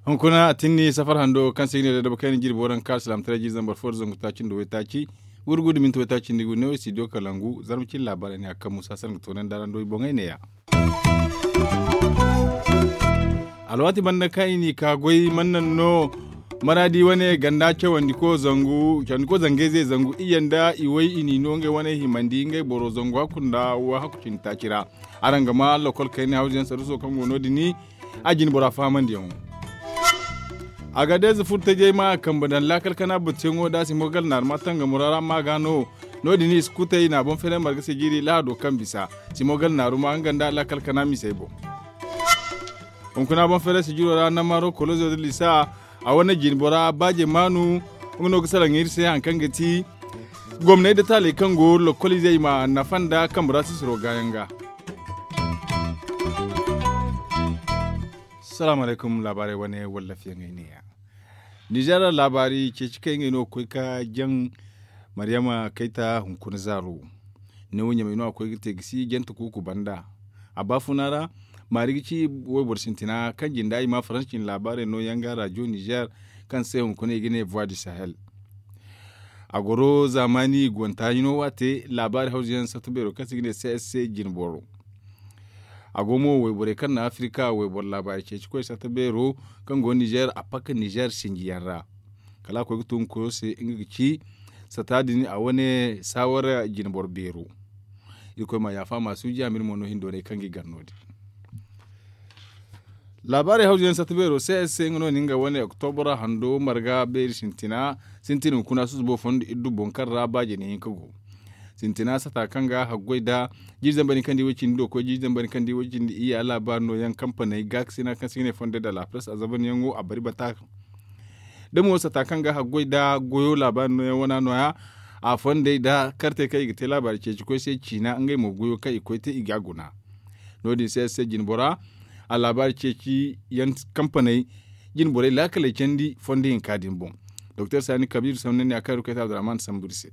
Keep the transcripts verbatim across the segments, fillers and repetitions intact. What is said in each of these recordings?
Hunkuna a tinni safar hando kaŋ se i ga ne da daba kayna jirbi waranka alsilaamataray jiiri zambar fo da zangu taaci nda waytaaci, wurgu da minti waytaaci nda gu neewo studio kalangu zarma cine laabaarey ne a kaŋ musa sanda ga toonandi araŋ do i boŋey neeya. Alwaati banda kaŋ i n'i ka goy mana naŋ no maraadi wane ganda cawandiko zangu cawandiko zangayze zangu iyye nda i way i n'i no ngey wane himandi ngey boro zangu hakku nda wo hakku cindi taaci ra. Araŋ ga ma lokol kayna hawzuyaŋ saruso kaŋ go no- din a jine bora fahamandiyaŋo. Agadeeze furo tajey ma a kambe daŋ laakal kana batuyaŋo da simo gala naaruma tangamo ra ma ga no. No- din i si kutey na boŋ feeray marga sijiri lahado kaŋ bisa simo gala naaruma nga nda laakal kana misey boŋ. Hunkuna boŋ feeray sijiro ra namaro kolozo da lisa a wane jine bora baaje maanu. Nga no ga salaŋ iri se hari kaŋ ga ti gomney da taaley kaŋ go lokol izey ma nafa nda kambe ra sisiro gaayaŋ ga. Salaamu alaykum laabaarey wane wallafiyaŋey neeya. Nizeer laabaari ceeci kaŋ ngey no ga koy ga jaŋ maryama kayta hunkuna zaaro. Neewo ɲamey no a koy ga te ga si jante kuuku banda. A baafuna ra maari ga ci wayboro sintina kaŋ jinda i ma faransa cine laabaarey nooyaŋ ga rajo nizeer kaŋ se hunkuna i ga ne voix du sahel. A goro zaamaani guwanta hino waate laabaari hawzuyaŋ satta beero kaŋ se i ga ne csc jine boro. A go mo wayborey kaŋ na afirika wayboro laabaari ceeci koy satta beero kaŋ go nizeer a pakka nizeer sinjiyaŋ ra. Kala a koy ga tun koyo se nga ga ci satta din a wane saawara jine boro beero. Irkoy ma yaafa ma suuji a ma iri mo no hindoonay kaŋ ga i gar no- din. Laabaarey hawzuyaŋ satta beero se ay se nga no na nga wane oktobra hando marga beeri sintina sintin hunkuna susubo fondo iddu boŋ kaŋ ra ba jine hinka go. Sintina sata kaŋ ga haggoy nda jiiri zambar din kaŋ di way cindi do koy jiiri zambar din kaŋ di way cindi iyya laabaari nooyaŋ kampaney gaakasina kaŋ se i ga ne fondo nda laapres a zabanyaŋo a bari bata. Da mo sata kaŋ ga haggoy nda goyo laabaari nooyaŋ wana nooya a fondey nda kartey kaŋ i ga te laabaari ceeci koy se ciina ngey mo goyo kaŋ i koy te i ga a guna. No- din se se jine bora a laabaari ceeci yaŋ kampaney jine borey laakaley candi fondo hinka din boŋ. Doktor saani kabiir sambu ne a kaŋ iri koy te abdurahman sambu iri se.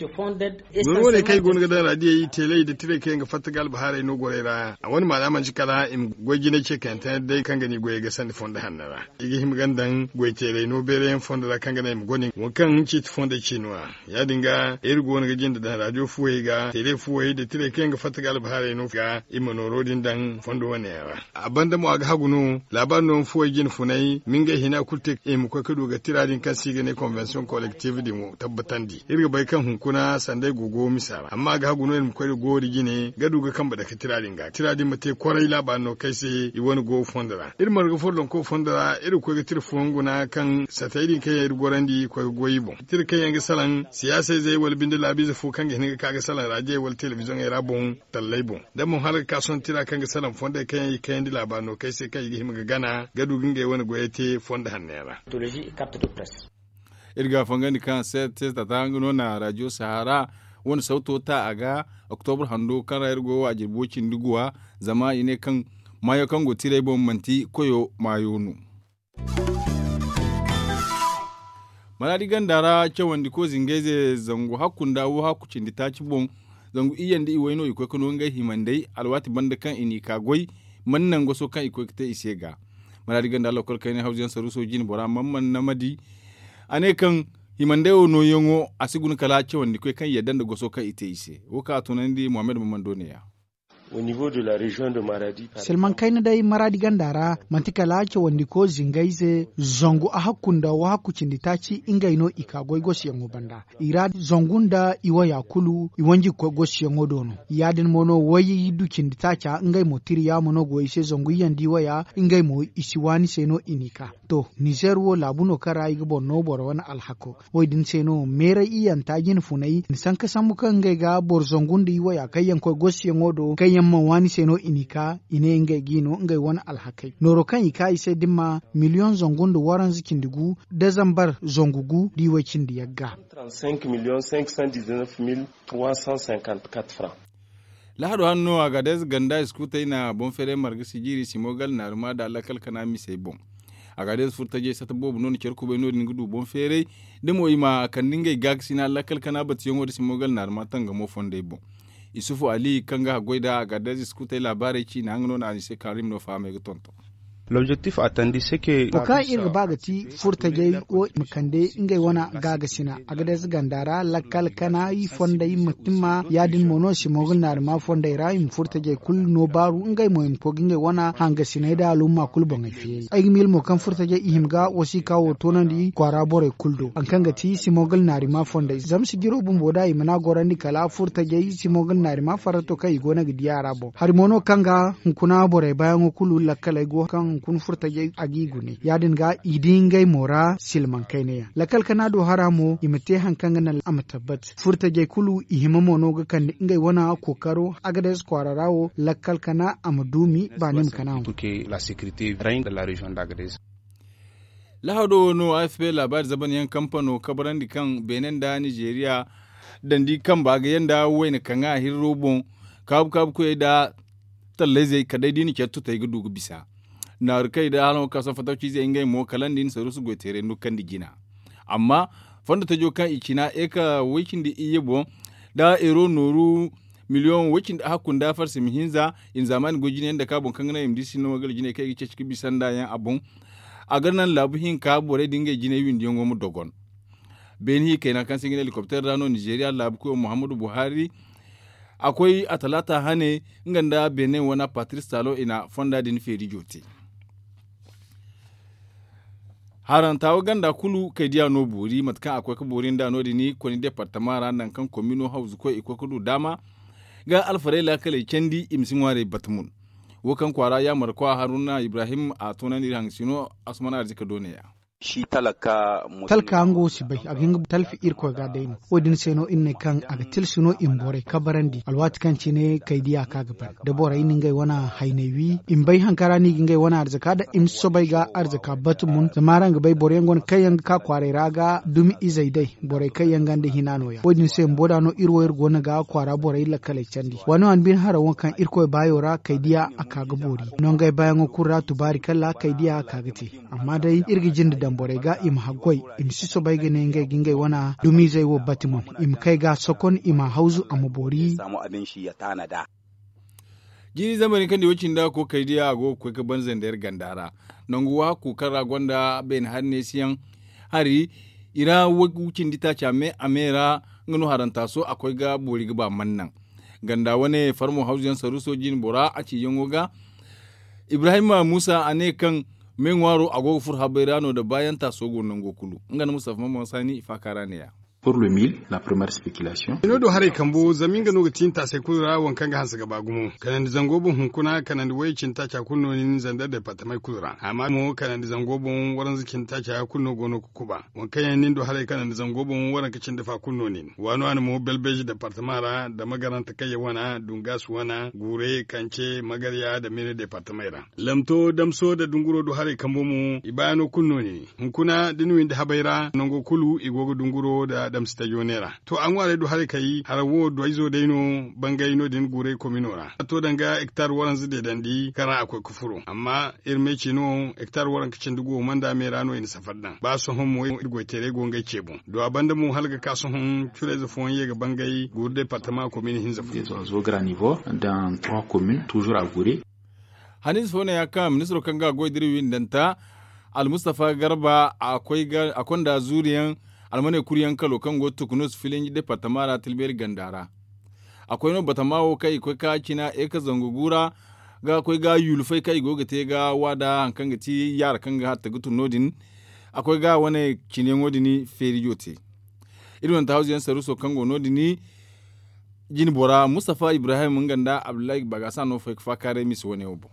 Goro wane kaŋ i go no ga daŋ raadiyey teeley nda tirey kaŋ yaŋ ga fatta ga albahaarey no gorey ra a wane maana manti kala i ma goy jinay ce kayante day kaŋ ga no i goyey ga sandi fondo hanno ra. I ga hima ga ni daŋ goy teeley no beerayaŋ fondo ra kaŋ ga naŋ i ma gone wo kaŋ ciiti fondey ciino ra. Ya- din ga iri go no ga jinde daŋ raadiyo fuwey ga teeley fuwey nda tirey kaŋ yaŋ ga fatta ga albahaarey no ga i ma nooro din daŋ fondo wane yaŋ ra. A banda mo a ga hagu no laabaari no ma fuwey jine funay ma ngey hina kulu te i ma koy ga du ga tira din kaŋ se i ga ne konvensiyoŋ kolektif din wo tabbatandi iri ga bay kaŋ hunkuna sanday go go misa ra amma a ga hagu no iri ma koy ga goori jine ga du ga kambe dake tira din ga tira din ma te kwaray laabaari no kaŋ ay se i wane go fondo ra iri marga follonko fondo ra iri ga koy ga tira fooyaŋ guna kaŋ satey din kaŋ yaŋ iri gorandi koy ga goy i boŋ tira kaŋ yaŋ ga salaŋ siyaasa izey wala binde laabiize fo kaŋ ga hin ga ka ga salaŋ raadiyey wala telebiziyoŋey ra boŋ talley boŋ da mo hala ga ka sohõ tira kaŋ ga salaŋ fondey kaŋ yaŋ i kayandi laabaari no kaŋ ay se kaŋ i ga hima ga gana ga du ga ngey wane goyey te fondo hanno yaŋ ra. Iri ga a fangandi kaŋ se te tata nga no na raadiyo sahara wane sawto ta a ga oktobra hando kaŋ ra iri go wa jirbi way cindi guwa zama i ne kaŋ maayo kaŋ go tiray boŋ manti koyo maayo no. Maraadi ganda ra cawandi ko zingayze zangu hakku nda wo hakku cindi taaci boŋ. Zangu iyye nda iway no i koy ga no ngey himandey alwaati banda kaŋ i n'i ka goy mana naŋ goso kaŋ i koy ga te i se ga. Maraadi ganda lokol kayna hawzuyaŋ saruuso jine bora mana mana ma di a ne kaŋ himandey wo nooyaŋo a si guna kala cawandi koy kaŋ yadda nda goso kaŋ i te i se wo kaŋ a tunandi muhammad mamando ne- ya. Silman kayna day maraadi ganda ra manti kala cawandiko zingayze zangu a hakku nda wo hakku cindi taaci ngey no i ka goy gosiyaŋo banda i ra zangu nda i waya kulu i wanji ga koy gosiyaŋo do no ya- din mo no way du cindi taaca ngey mo tiri yaamo no go i se zangu iyandi waya ngey mo i si waani se no i n'i ka. To nizer wo laabu no kaŋ ra i ga boro no boro wane alhako wo- din se no meeray iyanta jine funay i na sanka sambu kaŋ ngey ga boro zangu nda i waya kaŋ yaŋ koy gosiyaŋo do kaŋ yaŋ mana waani se no i n'i ka i ne ngey ga i no ngey wane alhakey nooro kaŋ i ka i se da ni ma miliyoŋ zangu nda waranza cindi gu da zambar zangu gu da i way cindi yagga. Lahado hanno a ga day ganda iskuutey na boŋ feeray marga sijiiri simo gala naaruma da lakkal kana misey boŋ. Agaadez furtajey sata boobo no na care kubay no- din ga du boŋ feeray da mo i ma kande ngey gaakasina lakkal kana batiyaŋo da simogal naarima tangamo fondey boŋ. Isufu ali kaŋ ga haggoy nd'a agaadez iskutey laabaarey ciina nga no na anise karim no fahamey ga tonton. Wo kaŋ iri ga ba ga ti furtajey wo i ma kande ngey wane gaagasina agaadez ganda ra lakkal kana i fondey ma timma ya- din mo no simogal naarima fondey ra i ma furtajey kulu no baaru ngey mo i ma koy ga ngey wane hangasiney nda alumma kulu boŋey feeri ay ga miila mo kaŋ furtajey i hima ga wasiika wo toonandi kwaara borey kulu do hari kaŋ ga ti simogal naarima fondey zama sijiro bumbo da i mana gorandi kala furtajey simogal naarima farrato kaŋ i go no ga di a ra boŋ hari mo no kaŋ ga hunkuna borey baayaŋo kulu lakkaley go kaŋ hunkuna furtajey a g'i gune ya- din ga i di ngey mo ra silmaŋ kayna yaŋ lakkal kana do hara mo i ma te hari kaŋ ga naŋ a ma tabbat furtajey kulu i hima mo no ga kande ngey wane kookaro agaadez kwaara ra wo lakkal kana a ma duumi baani ma kana mo. Lahado wo no afp laabaari zaban yaŋ kampano kabarandi kaŋ beene nda nizeeriya dandi kamba ga yanda wayna kaŋ a hirro boŋ kaabu kaabu koyey nda tallayzey kala day da i na care tutey ga du ga bisa naaru kay da hala nga ka sohõ fatawciizey ngey mo kala nda i na saruusu goy teeray nukandi jina amma fondo tajo kaŋ i cina eka way cindi iyye boŋ da euro nooru miliyoŋ way cindi hakku nda farsi ma hinza i na zaamaani goy jina yaŋ dake a boŋ kaŋ ga naŋ i ma di sinda mo gala jinay kaŋ i ga ceeci ga bisa nda yaŋ a boŋ a ga naŋ laabu hinka borey da ngey jinay windiyaŋo ma dogon beene hi kayna kaŋ se i ga ne helikopter ra no nizeeriya laabu koyo muhammadu buhari a koy a talaata hane nga nda beene wane patris talo i na fonda din feeri joote haranta wo ganda kulu kay diya no boori mate kaŋ a koy ga boori nda no din koni departama ra nangu kaŋ komino hawzu koy i koy ga du daama ga alfarey laakaley candi i ma si ŋwaarey bata mun wo kaŋ kwaara yaamarkwa haruna ibrahim a toonandi iri haŋ sino asman arzika doone ya talka nga wo si bay a ga hin ga talfi irkoy ga day no wo- din se no iri ne kaŋ a ga tilsi no i ma borey kabarandi alwaati kaŋ cine kay diya ka ga bari da borey na ngey wane haynay wi i ma bay haŋ kaŋ ra no i ga ngey wane arzaka da i ma si soobay ga arzaka batu mun zama araŋ ga bay boro yaŋ go no kaŋ yaŋ ga ka kwaaray ra ga dumi izey day borey kaŋ yaŋ ganda hina no- ya wo- din se bumbo da no iri wo iri go no ga kwaara borey lakkaley candi waani waani bine haraŋ wo kaŋ irkoy baayo ra kay diya a ka ga boori nongey baayaŋo kulu ra tubaari kala kay diya a ka ga te amma day iri ga jinde daŋ borey ga i ma haggoy i ma si soobay ga ne ngey ga ngey wane dumiizey wo bati mun i ma kay ga sokon i ma hawzu a ma boori jiiri zambar hinka nda i wo cindi a kookari diya a go ga koy ga ban zandayra ganda ra nangu wahakku kaŋ ra gonda beene hari neesiyaŋ hari i ra wicindi taaci a me a me ra nga no haranta so a koy ga boori ga ba man naŋ ganda wane farmo hawzuyaŋ saruuso jine bora a ciiyaŋo ga ibrahima muusa a ne kaŋ me ŋwaaro a go ga furo habay ra no nda baayaŋ taaso go nango kulu nga nda mustafa mamman saani i faaka ra ne- ya. Pour le mil la première spéculation. Ino do haray kambo zama nga no ga tiinta se kulu ra waŋ kaŋ ga hanse ga ba gumo kanandi zango boŋ hunkuna kanandi wayey cindi taaca kulu no nin zandar departamey kulu ra amma mo kanandi zango boŋ waranza cindi taaca kulu no go no ga kuba waŋ kaŋ yaŋ nin do haray kanandi zango boŋ waranka cindi fa kulu no nin waani waani mo belbeji departama ra da magaranta kaŋ yaŋ wana dungas wana gure kance magarya da mene departamey ra lamto damso da dunguro do haray kambo mo i baayano kulu no nin hunkuna da ni windi habay ra nango kulu i go ga dunguro da damsi tajo neera to a ŋwaarey do haray kay haraŋ wo doyzo day no bangay no- din guray komino ra a to danga hektar waranza deedandi kaŋ ra a koy ga furo amma iri me ce no hektar waranka cindi go manda me ra no i na safar daŋ ba sohõ mo iri goyteerey go ngey ce boŋ do a banda mo hala ga ka sohõ curayze fooyaŋ ye ga bangay guuru departama komin hinza fo. Zo grand niveau dans trois communes toujours à gure. Hanize fo ne ya kaŋ ministiro kaŋ ga goy diri windanta almustafa garba a konda zuuriyaŋ almaney kuryaŋ kalo kaŋ go tukunus filinji departama ra tilbeeri ganda ra a koy no batama wo kaŋ i koy ka cina eka zangu gu ra ga koy ga yulufay kaŋ i go ga te ga waada hari kaŋ ga ti yaara kaŋ ga hatta ga tun no- din a koy ga wane ciniyaŋo din feerijo te iri wane tahazuyaŋ saruuso kaŋ go no- din jine bora mustafa ibrahim nga nda abdullahi bagasa no fay ga faakaaray mise wane wo boŋ.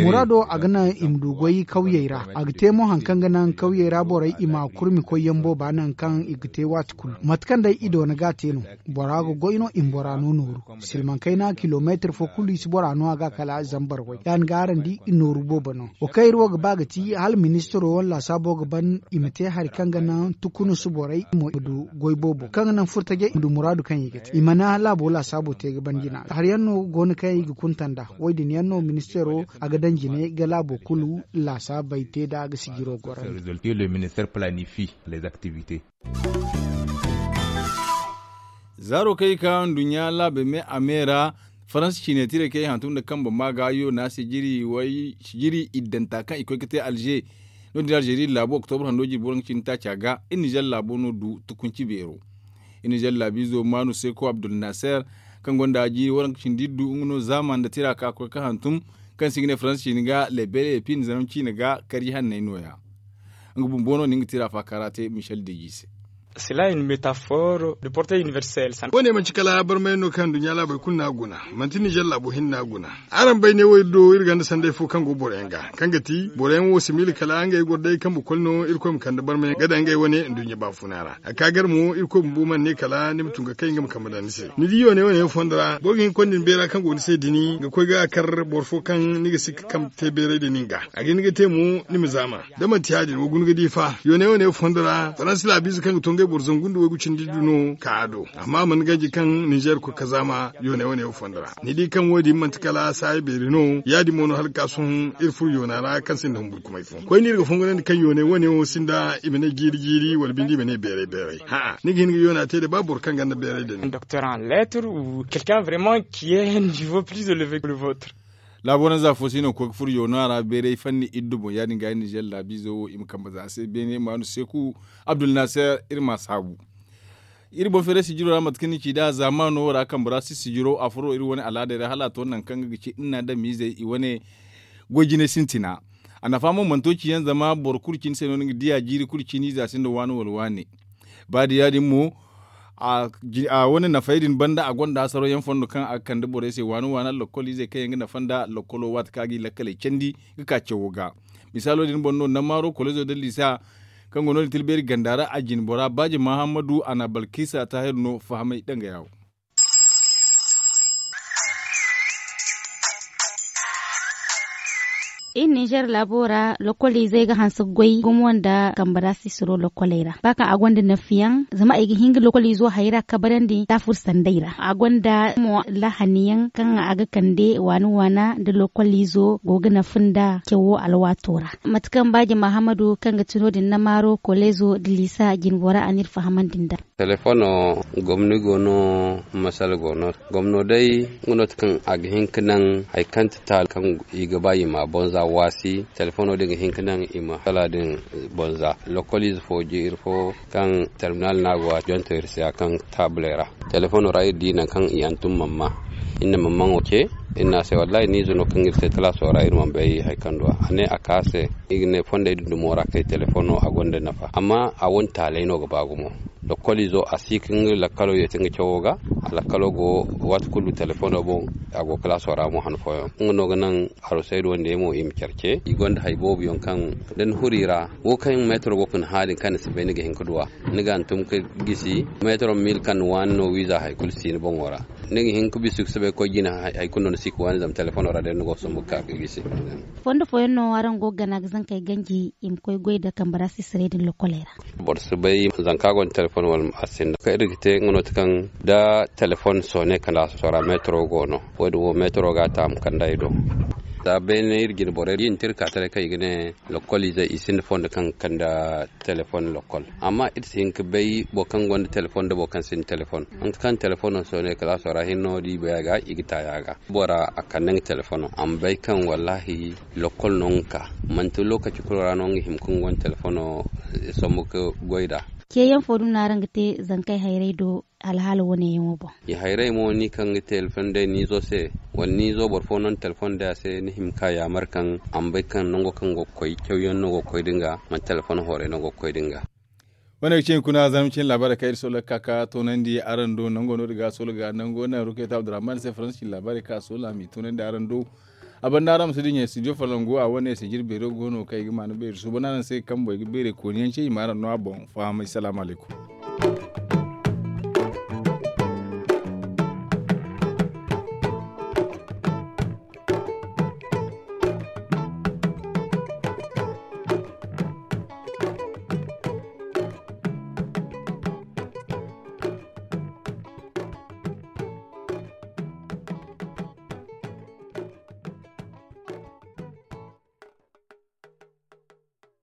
Muraado a ga naŋ i ma du goy kawyey ra a ga te mo hari kaŋ ga naŋ kawyey ra borey i ma kurmi koyyaŋ booba naŋ kaŋ i ga te waati kulu mate kaŋ day i doona ga a te no. Bora ga goy no i ma bora no nooru silmaŋ kayna kilomeetir fo kulu i si bora no a ga kala zambar way ya- din ga araŋ di i nooru boobo no. Wo kaŋ iri wo ga ba ga ti hala ministiro wane laasaabo ga ban i ma te hari kaŋ ga naŋ tukunus borey mo i ma du goy boobo kaŋ ga naŋ furtajey i ma du muraadu kaŋ i ga te i mana laabo laasaabo te ga ban jina hari yaŋ no go no kaŋ i ga kunta nd'a. Wo- din yaŋ no ministeero a ga daŋ jine ga laabo kulu laasaabey te nd'a ga sijiro gorandi. Zaaro kaŋ i ka nduɲɲa laabey me a me ra, faransa ciine tiray kaŋ i hantum nda kambe maaga yona sijiri iddanta kaŋ i koy ga te alze. No- din alzeeri laabo oktobra hando jirbi waranka cindi taaca ga iri nizer laabo no du tukunci beero. Iri nizer laabiizo maanu seeko abdul naser, kaŋ gonda jiiri waranka cindi iddu nga no zaama nda tira ka koy ga hantum, kaŋ se i ga ne faransa ciine ga lebele epin zanam ciine ga karji hanney nooya. Nga bumbo no na nga tira faakara te michel deji se. Sila in metafor de porte universel san. Wo- ne manci kala barmayaŋ no kaŋ nduɲɲa laabey kulu no a guna. Manti nizer laabo hinne no a guna. Araŋ bay ne wo iri do iri gonda sanday fo kaŋ go boro yaŋ ga, kaŋ ga ti boro yaŋ wo si miila kala ngey goro day kambe koli no irkoy ma kande barmayaŋ ga daŋ ngey wane nduɲɲa baafuna ra. A ka gar mo irkoy bumbo mana ne kala ni ma tun ga kay nga ma kambe daŋ ni se. Ni di yoone wane yaŋ fondo ra boro ga hin ga konda ni beera kaŋ go ni se dini ga koy ga kar boro fo kaŋ ni ga si ga kambe te beeray da nin ga, a ga hin ga te mo ni ma zaama. Da manti ya- din wa guna ga di fa yoone wane yaŋ fondo ra faransa laabiize kaŋ ga to ngey boro zangu nda waygu cindi iddu no ka a do. Amma a mana ganji kaŋ nizer koy ga zaama yoone wane yaŋ fondo ra. Ni di kaŋ wo- din manti kala saaya beeri no ya- din mo no hala ga ka sohõ iri furo yoona ra kaŋ sinda humburkumay fo koyne iri ga fongonandi kaŋ yoone wane wo sinda i ma ne jiiri jiiri wala binde i ma ne beeray beeray. Hã'a ni ga hin ga yoona te da ba boro kaŋ gonda beeray da ni. Docteur en lettre ou quelqu'un vraiment qui est un niveau plus élevé que le vôtre. Laabo ranza fo se no ga koy ga furo yoona ra beeray fanni iddu boŋ ya- din ga iri nizer laabiizo wo i ma kambe za a se beene maanu seeku abdul naser iri ma a saabu. Iri boŋ feeray sijiro ra mate kaŋ ni ci nd'a zaamaano ra kambe ra si sijiro a furo iri wane alaadey ra hala a to nangu kaŋ ga ga ci iri na adamiizey i wane goy jinay sintina. A nafa mo mana to ci yaŋ zama boro kulu cine se no ni ga di a jiiri kulu cine ize a sinda waani wala waani. Ba da ya- din mo a wane nafey din banda a gonda hasaro yaŋ fondo kaŋ a ga kande borey se waani waani lakkol izey kaŋ yaŋ ga nafa nda lakkolo waati kaŋ a ga i lakkaley candi ga ka cawo ga. Misaalo din boŋ no namaaro kolezo nda liisa kaŋ go no- din tilbeeri ganda ra a jine bora baaji mahammadu a na balkiisa taahir no fahamay dangaya wo. Iri nizer laabo ra lokoliizey ga hanse goy gumo nda kambe ra sisiro lokoley ra ba kaŋ a gonda nafiyaŋ zama i ga hin ga lokoliizo hayra kabarandi taafur sanday ra a gonda mo lahaniyaŋ kaŋ a ga kande waana waana nda lokoliizo go ga nafa nda cawo alwaato ra. Mate kaŋ baaji mahammadu kaŋ ga ti no- din namaaro koleezo nda liisa jinbora a n'iri fahamandi nd'a. Telefono gomni go no masala go no. Gomno day nga no ti kaŋ a ga hin ga naŋ hari kaŋ ti taali kaŋ i ga ba i ma a bonza waasi telefono din ga hin ga naŋ i ma hala din bonza. Lokol ize fo jiiri fo kaŋ terminal no a go a jonto iri se a kaŋ taabuley ra. Telefono ra iri di nangu kaŋ i hantum mamma iri na mammaŋo ce iri ne a se wallahi ni ize no kaŋ iri te talaaso ra iri mana bay hari kaŋ du a ne a ka a se. Iri ga ne fondey din dumo ra kay telefono a gonda nafa amma a wane taaley no ga ba gumo. Lokkol izo a si ga nga lakkalo yeeti nga cawo ga. A lakkalo go waati kulu telefono boŋ. A go kalaaso ra mo han fooyaŋ nga no ga naŋ arusaydu wande mo i ma care ce i gonda hari boobo yaŋ kaŋ da ni huru i ra wo kaŋ meetaro go ga ni hã din kaŋ ni si bay ni ga hin ga du a. Ni ga hantum ga gisi meetaro mil kaŋ ni waani no wiiza hari kulu si ni boŋo ra. Ni ga hin ga bisu ga si bay koy jina hari kulu no ni si ga waani zama telefono ra day ni go ga sombu ga ka ga gisi. Fondo fooyaŋ no araŋ go ga gana ga zankey ganji i ma koy goy nda kambe ra sisirey din lokoley ra. Boro si bay zanka gonda telefon wala a sinda kaŋ iri ga te nga no ti kaŋ da telefon soone kala sora meetaro go no. Wo- din wo meetaro ga a taamu kand'a i do. Za beene iri jine borey da i na te iri ka taray kaŋ i ga ne lokkol izey i sinda fondo kaŋ ga kande telefon lokkol. Amma iri si hin ga bay boro kaŋ gonda telefon nda boro kaŋ sinda telefon. Mate kaŋ telefono soone kala sora hinne no da i bay a ga i ga taayi a ga. Bora a kande nga telefono a ma bay kaŋ wallaahi lokkol no nga ka manti lookaci kulu ra no nga hima ka nga wane telefono sambu ka goy nd'a. Ceeyaŋ fo dumi no araŋ ga te zankey hayray do alhaala wane yaŋo boŋ? I hayray mo ni kaŋ ga telefon day ni izo se wala ni izo boro fo no ni telefon day a se ni hima ka yaamar kaŋ a ma bay kaŋ nango kaŋ go ga koy cawyaŋ no go ga koy da nga manti telefon hooray no go ga koy da nga. Wane ga cine kuna zarma cine laabaarey kaŋ iri soola ga ka ga toonandi araŋ do nango no- din ga a soola ga nango naŋ rukayta abdurrahman se faransa cine laabaarey kaŋ a soola a m'i toonandi araŋ do. A banda araŋ ma si dinya studio falangu a wane se jirbeero go no kaŋ i ga maana beeri suuban araŋ se kambo i ga beerey kooniyaŋ ce i ma araŋ no a boŋ fahamay salaamu alaykum.